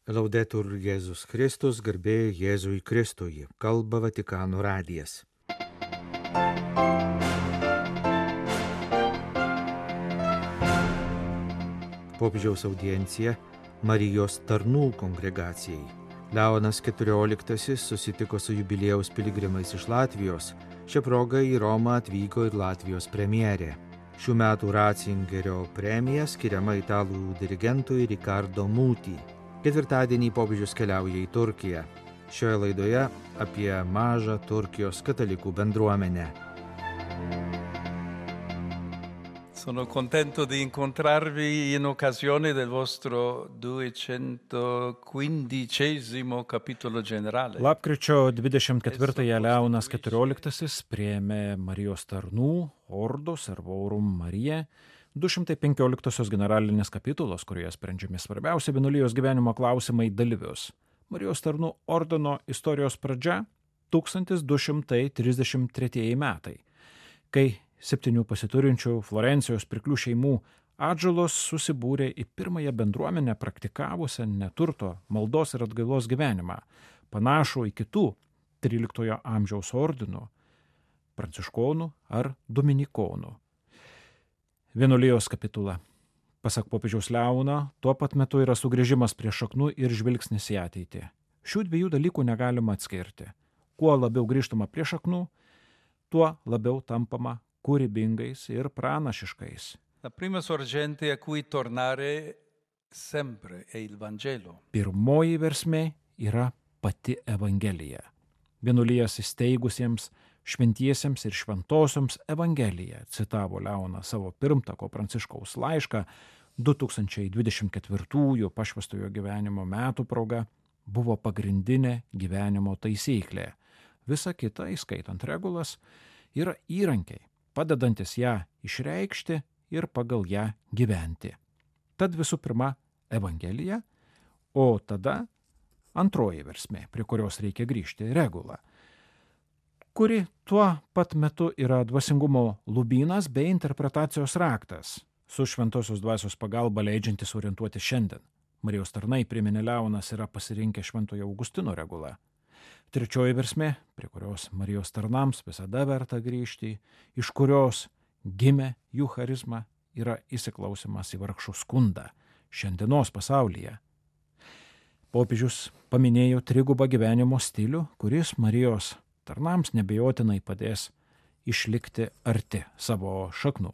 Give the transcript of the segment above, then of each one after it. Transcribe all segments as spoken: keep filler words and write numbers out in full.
Laudetur Jėzus Kristus, garbė Jėzui Kristui, kalba Vatikano radijas. Popiežiaus audiencija Marijos tarnų kongregacijai. Leonas keturioliktasis susitiko su jubiliejaus piligrimais iš Latvijos. Šią progą į Romą atvyko ir Latvijos premjerė. Šių metų Ratzingerio premija skiriama italų dirigentui Riccardo Muti. Ketvirtadienį popiežius keliauja į Turkiją. Šioje laidoje apie mažą Turkijos katalikų bendruomenę. Sono contento di incontrarvi in occasione del vostro duecentoquindicesimo capitolo generale. Lapkričio dvidešimt ketvirtąją Leonas keturioliktasis priėmė Marijos tarnų Ordos Servorum Marija du šimtai penkioliktosios generalinės kapitulos, kurioje sprendžiami svarbiausi vienuolijos gyvenimo klausimai dalyvius. Marijos tarnų ordino istorijos pradžia tūkstantis du šimtai trisdešimt tretieji metai, kai septynių pasiturinčių Florencijos pirklių šeimų atžalos susibūrė į pirmąją bendruomenę praktikavusią neturto, maldos ir atgailos gyvenimą, panašų į kitų tryliktojo amžiaus ordinų, pranciškonų ar dominikonų. Vienuolijos kapitula. Pasak popiežiaus Leono, tuo pat metu yra sugrįžimas prie šaknų ir žvilgsnis į ateitį. Šių dviejų dalykų negalima atskirti. Kuo labiau grįžtama prie šaknų, tuo labiau tampama kūrybingais ir pranašiškais. La prima sorgente a cui tornare sempre è il Vangelo. Pirmoji versmė yra pati Evangelija. Vienuolijas įsteigusiems šventiesiems ir šventosioms Evangeliją, citavo Leonas savo pirmtako Pranciškaus laišką du tūkstančiai dvidešimt ketvirtųjų pašvęstojo gyvenimo metų proga, buvo pagrindinė gyvenimo taisyklė. Visa kita, įskaitant regulas, yra įrankiai, padedantis ją išreikšti ir pagal ją gyventi. Tad visų pirma Evangelija, o tada antroji versmė, prie kurios reikia grįžti, regula, kuri tuo pat metu yra dvasingumo lubynas bei interpretacijos raktas, su šventosios dvasios pagalba leidžiantis orientuoti šiandien. Marijos tarnai, priminė Leonas, yra pasirinkę šventojo Augustino regulą. Trečioji versmė, prie kurios Marijos tarnams visada verta grįžti, iš kurios gimė jų charizma, yra įsiklausimas į vargšų skundą šiandienos pasaulyje. Popiežius paminėjo trigubą gyvenimo stilių, kuris Marijos tarnams nebejotinai padės išlikti arti savo šaknų.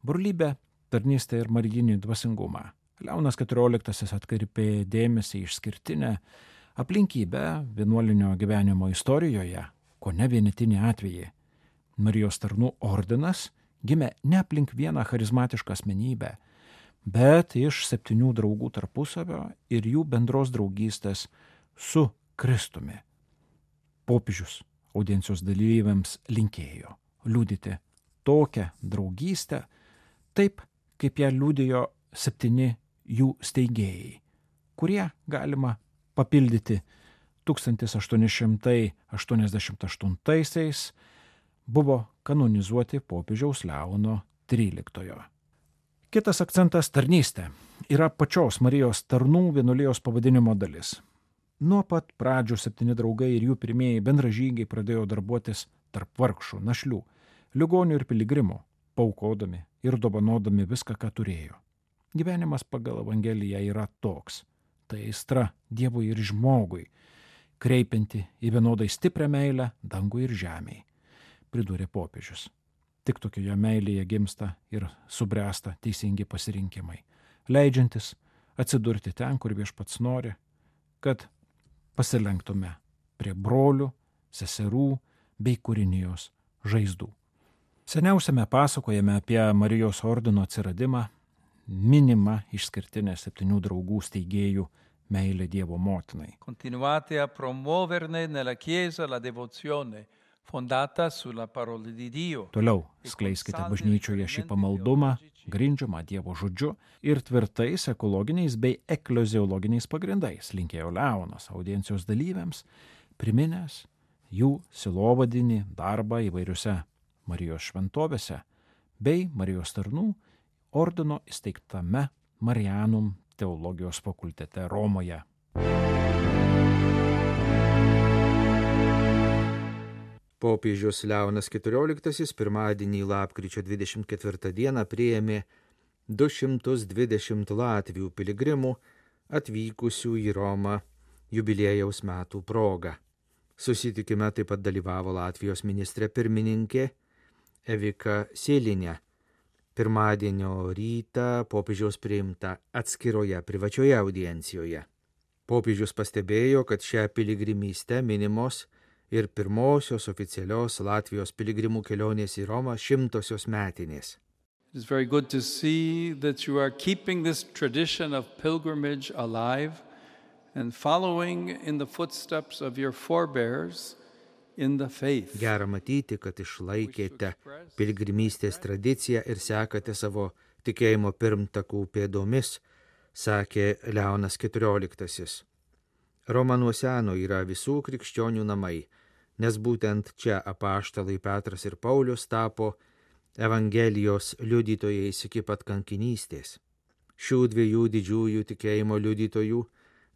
Brolybė, tarnystė ir marijinį dvasingumą. Leonas keturioliktasis atkreipė dėmesį išskirtinę aplinkybę vienuolinio gyvenimo istorijoje, ko ne vienetinį atvejį. Marijos tarnų ordinas gimė ne aplink vieną charizmatišką asmenybę, bet iš septynių draugų tarpusavio ir jų bendros draugystės su Kristumi. Popiežius audiencijos dalyviams linkėjo liudyti tokią draugystę, taip kaip ją liudijo septyni jų steigėjai, kurie galima papildyti tūkstantis aštuoni šimtai aštuoniasdešimt aštuntaisiais buvo kanonizuoti popiežiaus Leono tryliktojo. Kitas akcentas - tarnystė yra pačios Marijos tarnų vienuolijos pavadinimo dalis. Nuo pat pradžių septyni draugai ir jų pirmieji bendražygiai pradėjo darbuotis tarp vargšų, našlių, ligonių ir piligrimų, paukodami ir dovanodami viską, ką turėjo. Gyvenimas pagal Evangeliją yra toks. Tai aistra Dievui ir žmogui, kreipianti į vienodai stiprią meilę dangui ir žemei, pridūrė popiežius. Tik tokioje meilėje gimsta ir subręsta teisingi pasirinkimai, leidžiantis atsidurti ten, kur Viešpats nori, kad pasilenktume prie brolių, seserų bei kūrinijos žaizdų. Seniausiame pasakojame apie Marijos ordino atsiradimą minima išskirtinė septynių draugų steigėjų meilė Dievo motinai. Continuate a promuoverne nella Chiesa la devozione fondata sulla parola di Dio. Toliau skleiskite bažnyčioje šį pamaldumą, grindžiamą Dievo žodžiu ir tvirtais ekologiniais bei ekleziologiniais pagrindais, linkėjo Leonas audiencijos dalyviams, priminęs jų silovadinį darbą įvairiuose Marijos šventovėse bei Marijos tarnų ordino įsteigtame Marianum teologijos fakultete Romoje. Popiežius Leonas keturioliktasis pirmadienį lapkričio dvidešimt ketvirtą dieną priėmė du šimtus dvidešimt Latvių piligrimų atvykusių į Romą jubiliejaus metų proga. Susitikime taip pat dalyvavo Latvijos ministrė pirmininkė Evika Silinė. Pirmadienio rytą popiežiaus priimta atskiroje privačioje audiencijoje. Popiežius pastebėjo, kad šią piligrimystę minimos ir pirmosios oficialios Latvijos piligrimų kelionės į Romą šimtosios metinės. It is very good to see that you are keeping this tradition of pilgrimage alive and following in the footsteps of your forebears in the faith. Gera matyti, kad išlaikėte piligrimystės tradiciją ir sekate savo tikėjimo pirmtakų pėdomis, sakė Leonas keturioliktasis. Roma nuo seno yra visų krikščionių namai, nes būtent čia apaštalai Petras ir Paulius tapo Evangelijos liudytojais iki pat kankinystės. Šių dviejų didžiųjų tikėjimo liudytojų,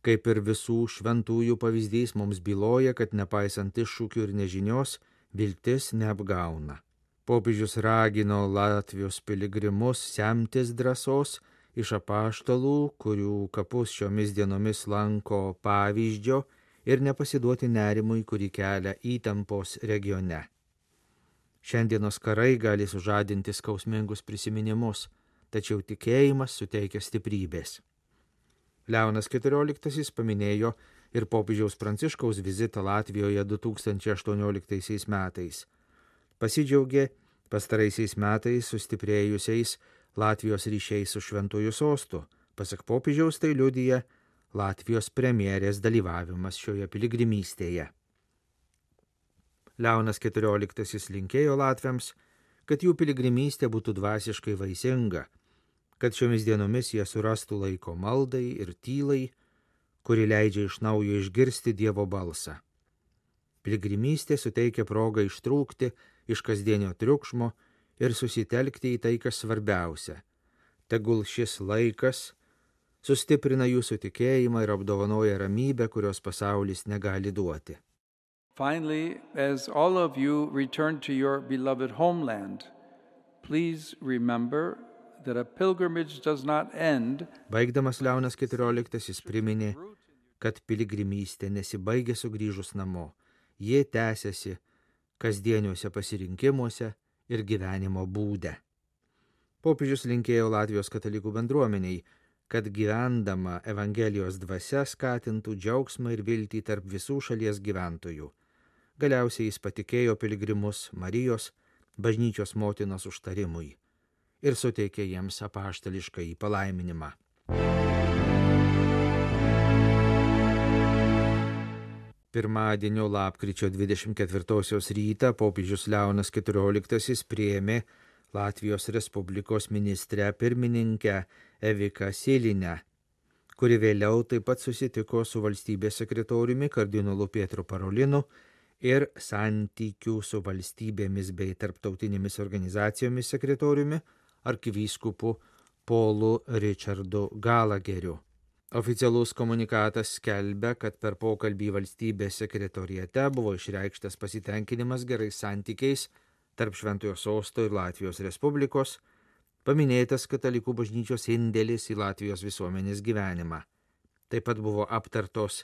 kaip ir visų šventųjų pavyzdys, mums byloja, kad nepaisant iššūkių ir nežinios, viltis neapgauna. Popiežius ragino Latvijos piligrimus semtis drąsos iš apaštalų, kurių kapus šiomis dienomis lanko pavyzdžio, ir nepasiduoti nerimui, kurį kelia įtampos regione. Šiandienos karai gali sužadinti skausmingus prisiminimus, tačiau tikėjimas suteikia stiprybės. Leonas keturioliktasis paminėjo ir popiežiaus Pranciškaus vizitą Latvijoje du tūkstančiai aštuonioliktaisiais metais. Pasidžiaugė pastaraisiais metais sustiprėjusiais Latvijos ryšiais su Šventuoju sostu. Pasak popiežiaus tai liudija Latvijos premjerės dalyvavimas šioje piligrimystėje. Leonas keturioliktasis linkėjo latviams, kad jų piligrimystė būtų dvasiškai vaisinga, kad šiomis dienomis jie surastų laiko maldai ir tylai, kuri leidžia iš naujo išgirsti Dievo balsą. Piligrimystė suteikia progą ištrūkti iš kasdienio triukšmo ir susitelkti į tai, kas svarbiausia. Tegul šis laikas sustiprina jūsų tikėjimą ir apdovanoja ramybę, kurios pasaulis negali duoti. Finally, as all of you return to your beloved homeland, please remember that a pilgrimage does not end. Baigdamas Leonas keturioliktasis priminė, kad piligrimystė nesibaigia sugrįžus namo. Jie tęsiasi kasdieniuose pasirinkimuose ir gyvenimo būde. Popiežius linkėjo Latvijos katalikų bendruomeniai, kad gyvendama Evangelijos dvasia skatintų džiaugsmą ir viltį tarp visų šalies gyventojų. Galiausiai jis patikėjo piligrimus Marijos, bažnyčios motinos užtarimui ir suteikė jiems apaštališką palaiminimą. Pirmadienio lapkričio dvidešimt ketvirtosios rytą popiežius Leonas keturioliktasis priėmė Latvijos Respublikos ministrę pirmininkę Eviką Silinę, kuri vėliau taip pat susitiko su valstybės sekretoriumi kardinolu Pietru Parolinu ir santykių su valstybėmis bei tarptautinėmis organizacijomis sekretoriumi arkivyskupu Paulu Richardu Galageriu. Oficialus komunikatas skelbia, kad per pokalbį valstybės sekretoriate buvo išreikštas pasitenkinimas gerais santykiais tarp Šventojo sosto ir Latvijos Respublikos, paminėtas katalikų bažnyčios indėlis į Latvijos visuomenės gyvenimą. Taip pat buvo aptartos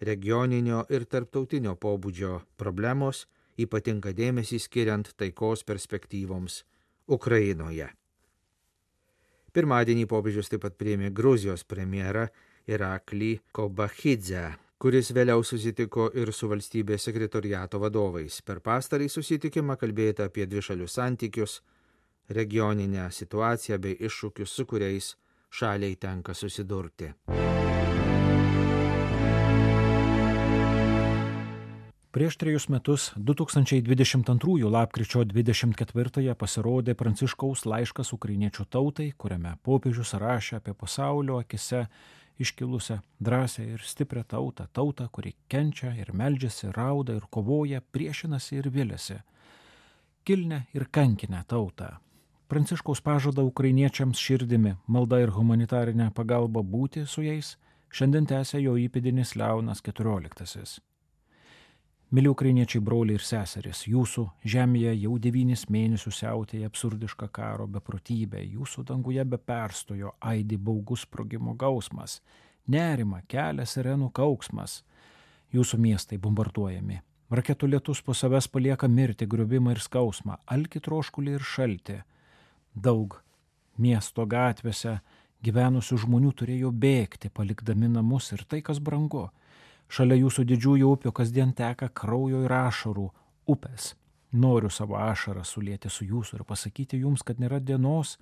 regioninio ir tarptautinio pobūdžio problemos, ypatingą dėmesį skiriant taikos perspektyvoms Ukrainoje. Pirmadienį popiežius taip pat priėmė Gruzijos premjerą Iraklį Kobachidzę, kuris vėliau susitiko ir su valstybės sekretoriato vadovais. Per pastarąjį susitikimą kalbėta apie dvišalius santykius, regioninę situaciją bei iššūkius, su kuriais šaliai tenka susidurti. Prieš trejus metus, du tūkstančiai dvidešimt antrųjų lapkričio dvidešimt ketvirtąją pasirodė Pranciškaus laiškas ukrainiečių tautai, kuriame popiežius rašė apie pasaulio akise iškilusią drąsią ir stiprią tautą, tautą, kuri kenčia ir meldžiasi, rauda ir kovoja, priešinasi ir viliasi. Kilnę ir kankinę tautą. Pranciškaus pažada ukrainiečiams širdimi, malda ir humanitarinė pagalba būti su jais, šiandien tęsia jo įpėdinis Leonas keturioliktasis. Mili ukrainiečiai broliai ir seserys, jūsų žemėje jau devynis mėnesius siautėja absurdiška karo beprotybė, jūsų danguje be perstojo aidi baugus sprogimo gausmas, nerima kelia sirenų kauksmas, jūsų miestai bombarduojami, raketų lietus po savęs palieka mirtį, griuvimą ir skausmą, alkį, troškulį ir šaltį. Daug miesto gatvėse gyvenusių žmonių turėjo bėgti, palikdami namus ir tai, kas brangu. Šalia jūsų didžiųjų upių kasdien teka kraujo ir ašarų upės. Noriu savo ašarą sulieti su jūsų ir pasakyti jums, kad nėra dienos,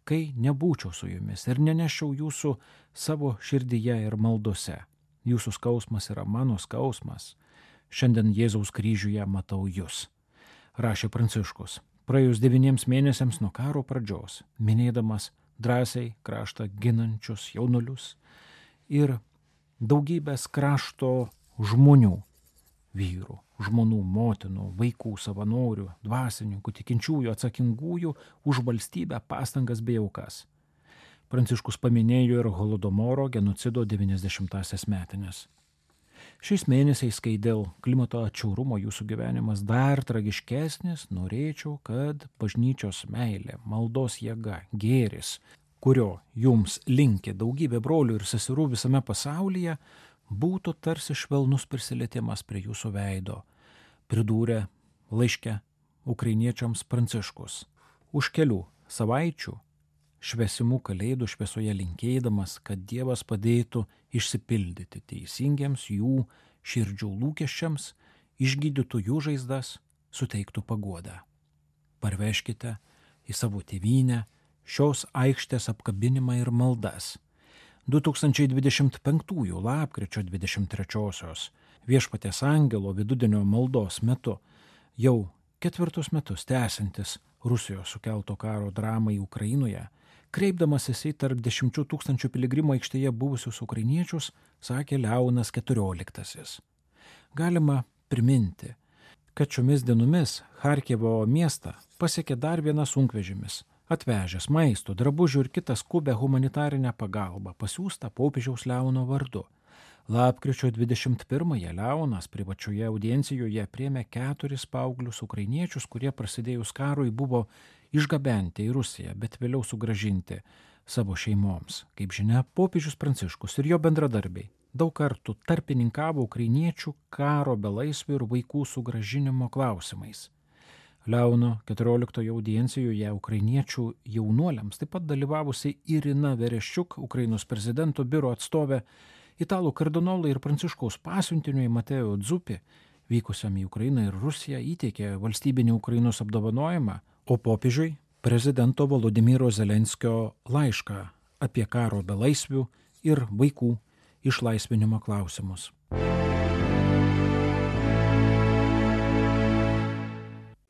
kai nebūčiau su jumis ir neneščiau jūsų savo širdyje ir maldose. Jūsų skausmas yra mano skausmas. Šiandien Jėzaus kryžiuje matau jūs. Rašė Pranciškus, praėjus devyniems mėnesiams nuo karo pradžios, minėdamas drąsiai kraštą ginančius jaunulius ir daugybės krašto žmonių, vyrų, žmonų, motinų, vaikų, savanorių, dvasininkų, tikinčiųjų, atsakingųjų už valstybę, pastangas bei aukas. Pranciškus paminėjo ir Holodomoro genocido devyniasdešimtąsias metinės. Šiais mėnesiais, kai dėl klimato atšiaurumo jūsų gyvenimas dar tragiškesnis, norėčiau, kad bažnyčios meilė, maldos jėga, gėris, kurio jums linki daugybė brolių ir seserų visame pasaulyje, būtų tarsi švelnus prisilietimas prie jūsų veido, pridūrė laiške ukrainiečiams Pranciškus. Už kelių savaičių šviesimų kalėdų šviesoje linkėdamas, kad Dievas padėtų išsipildyti teisingiems jų širdžių lūkesčiams, išgydytų jų žaizdas, suteiktų paguodą. Parveškite į savo tėvynę šios aikštės apkabinimą ir maldas. du tūkstančiai dvidešimt penktųjų lapkričio dvidešimt trečiosios Viešpaties angelo vidudienio maldos metu jau ketvirtus metus tęsiantis Rusijos sukelto karo dramai Ukrainoje, kreipdamasis į tarp dešimčių tūkstančių piligrimų aikštėje buvusius ukrainiečius, sakė Leonas keturioliktasis. Galima priminti, kad šiomis dienomis Charkivo miestą pasiekė dar vienas sunkvežimis, atvežęs maisto, drabužių ir kitą skubę humanitarinę pagalbą, pasiųstą popiežiaus Leono vardu. Lapkričio dvidešimt pirmąją Leonas privačioje audiencijoje priėmė keturis paauglius ukrainiečius, kurie prasidėjus karui buvo išgabenti į Rusiją, bet vėliau sugrąžinti savo šeimoms. Kaip žinia, popiežius Pranciškus ir jo bendradarbiai daug kartų tarpininkavo ukrainiečių karo belaisvių ir vaikų sugrąžinimo klausimais. Leono keturioliktojo audiencijoje ukrainiečių jaunuoliams taip pat dalyvavusi Irina Vereščiuk, Ukrainos prezidento biuro atstovė, italų kardinolai ir Pranciškaus pasiuntiniui Mateo Dzupi, vykusiam į Ukrainą ir Rusiją, įteikė valstybinį Ukrainos apdovanojimą, o popiežiui prezidento Volodymyro Zelenskio laišką apie karo belaisvių ir vaikų išlaisvinimo klausimus.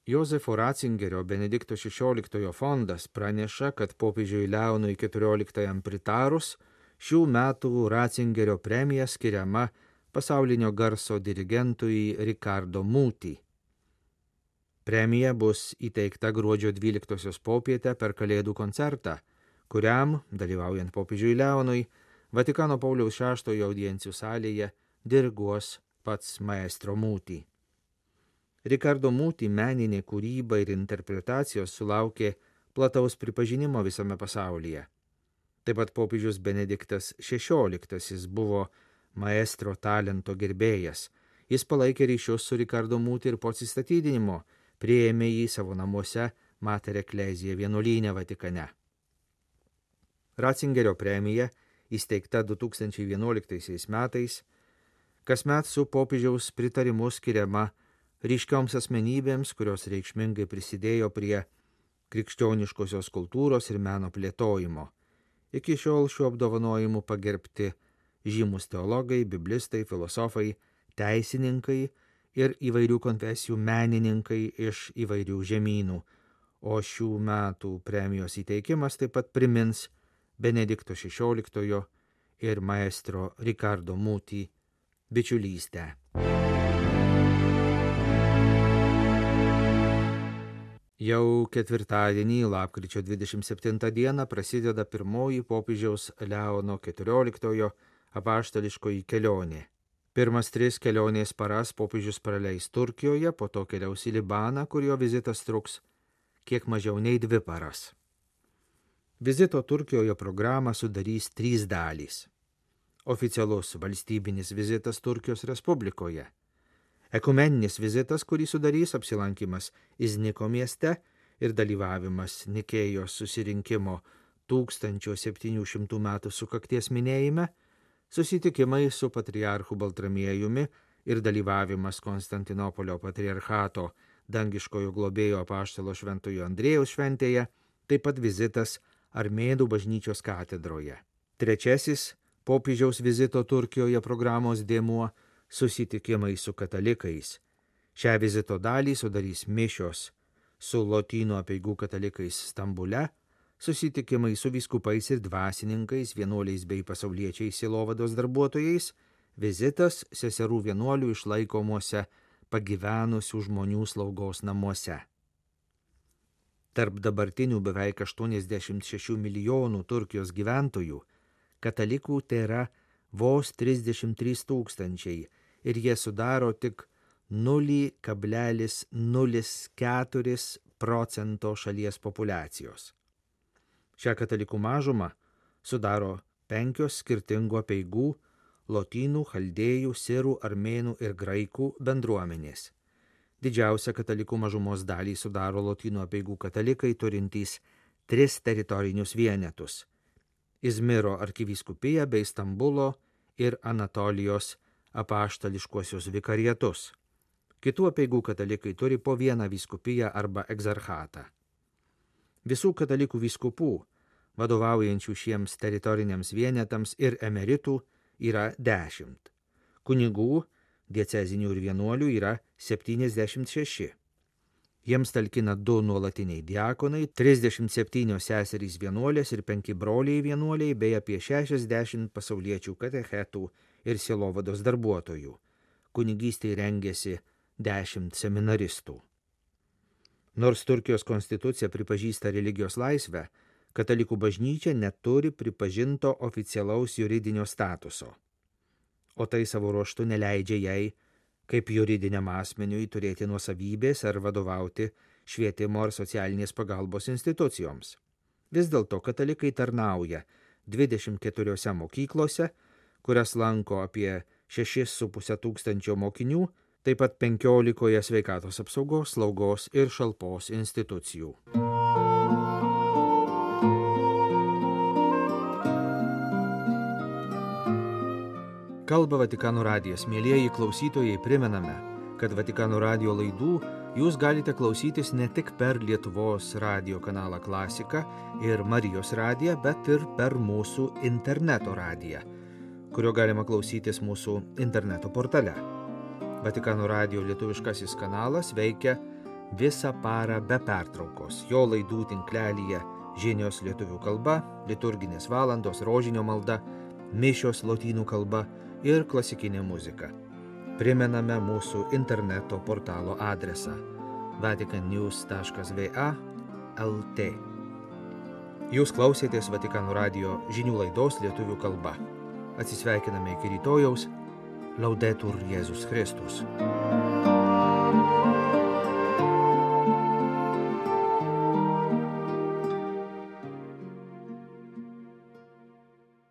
Jozefo Ratzingerio Benedikto šešioliktojo fondas praneša, kad popiežiui Leonui keturioliktajam pritarus šių metų Ratzingerio premija skiriama pasaulinio garso dirigentui Riccardo Muti. Premija bus įteikta gruodžio dvyliktosios popietę per Kalėdų koncertą, kuriam, dalyvaujant popiežiui Leonui, Vatikano Pauliaus šeštojo audiencijų salėje diriguos pats maestro Muti. Riccardo Muti meninė kūryba ir interpretacijos sulaukė plataus pripažinimo visame pasaulyje. Taip pat popiežius Benediktas šešioliktasis buvo maestro talento gerbėjas. Jis palaikė ryšius su Riccardo Muti ir po atsistatydinimo priėmė jį savo namuose Mater Ecclesiae vienuolyne Vatikane. Ratzingerio premija, įsteigta du tūkstančiai vienuoliktaisiais metais, kasmet su popiežiaus pritarimu skiriama ryškioms asmenybėms, kurios reikšmingai prisidėjo prie krikščioniškosios kultūros ir meno plėtojimo. Iki šiol šiuo apdovanojimu pagerbti žymus teologai, biblistai, filosofai, teisininkai ir įvairių konfesijų menininkai iš įvairių žemynų, o šių metų premijos įteikimas taip pat primins Benedikto šešioliktojo ir maestro Riccardo Muti bičiulystę. Jau ketvirtadienį, lapkričio dvidešimt septintą dieną, prasideda pirmoji popiežiaus Leono keturioliktojo apaštališkoji kelionė. Pirmas tris kelionės paras popiežius praleis Turkijoje, po to keliaus į Libaną, kur jo vizitas truks kiek mažiau nei dvi paras. Vizito Turkijoje programą sudarys trys dalys. Oficialus valstybinis vizitas Turkijos Respublikoje. Ekumeninis vizitas, kurį sudarys apsilankimas Izniko mieste ir dalyvavimas Nikėjos susirinkimo tūkstančio septynių šimtų metų sukakties minėjime, susitikimai su patriarchu Baltramiejumi ir dalyvavimas Konstantinopolio patriarchato dangiškojo globėjo apaštalo šventojo Andrėjaus šventėje, taip pat vizitas Armėnų bažnyčios katedroje. Trečiasis popiežiaus vizito Turkijoje programos dėmuo – susitikimai su katalikais. Šią vizito dalį sudarys mišios su lotynų apeigų katalikais Stambule, susitikimai su vyskupais ir dvasininkais, vienuoliais bei pasauliečiais sielovados darbuotojais, vizitas seserų vienuolių išlaikomuose pagyvenusių žmonių slaugos namuose. Tarp dabartinių beveik aštuoniasdešimt šešių milijonų Turkijos gyventojų katalikų tėra vos trisdešimt trys tūkstančiai ir jie sudaro tik nulis kablelis nulis keturi procento šalies populiacijos. Šią katalikų mažumą sudaro penkios skirtingų apeigų lotynų, chaldėjų, sirų, armėnų ir graikų bendruomenės. Didžiausią katalikų mažumos dalį sudaro lotynų apeigų katalikai turintys tris teritorinius vienetus – Izmiro arkivyskupija bei Stambulo ir Anatolijos apaštališkuosius vikariatus. Kitų apeigų katalikai turi po vieną vyskupiją arba egzarchatą. Visų katalikų vyskupų, vadovaujančių šiems teritoriniams vienetams ir emeritų, yra dešimt. Kunigų, diecezinių ir vienuolių yra septyniasdešimt šeši. Jiems talkina du nuolatiniai diakonai, trisdešimt septynios seserys vienuolės ir penki broliai vienuoliai, bei apie šešiasdešimt pasauliečių katechetų ir sielovados darbuotojų. Kunigystei rengėsi dešimt seminaristų. Nors Turkijos konstitucija pripažįsta religijos laisvę, katalikų bažnyčia neturi pripažinto oficialaus juridinio statuso, o tai savo ruožtu neleidžia jai, kaip juridiniam asmeniui, turėti nuosavybės ar vadovauti švietimo ar socialinės pagalbos institucijoms. Vis dėlto katalikai tarnauja dvidešimt keturiose mokyklose, kurias lanko apie šešis su puse tūkstančio mokinių, taip pat penkiolikoje sveikatos apsaugos, slaugos ir šalpos institucijų. Kalba Vatikano radijas. Mielieji klausytojai, primename, kad Vatikano radijo laidų jūs galite klausytis ne tik per Lietuvos radijo kanalą Klasika ir Marijos radiją, bet ir per mūsų interneto radiją, kurio galima klausytis mūsų interneto portale. Vatikano radijo lietuviškasis kanalas veikia visą parą be pertraukos. Jo laidų tinklelyje žinios lietuvių kalba, liturginės valandos, rožinio malda, mišios lotynų kalba ir klasikinė muzika. Primename mūsų interneto portalo adresą vatican news taškas v a taškas l t. Jūs klausėtės Vatikano radijo žinių laidos lietuvių kalba. Atsisveikiname iki rytojaus. Laudetur Jėzus Kristus.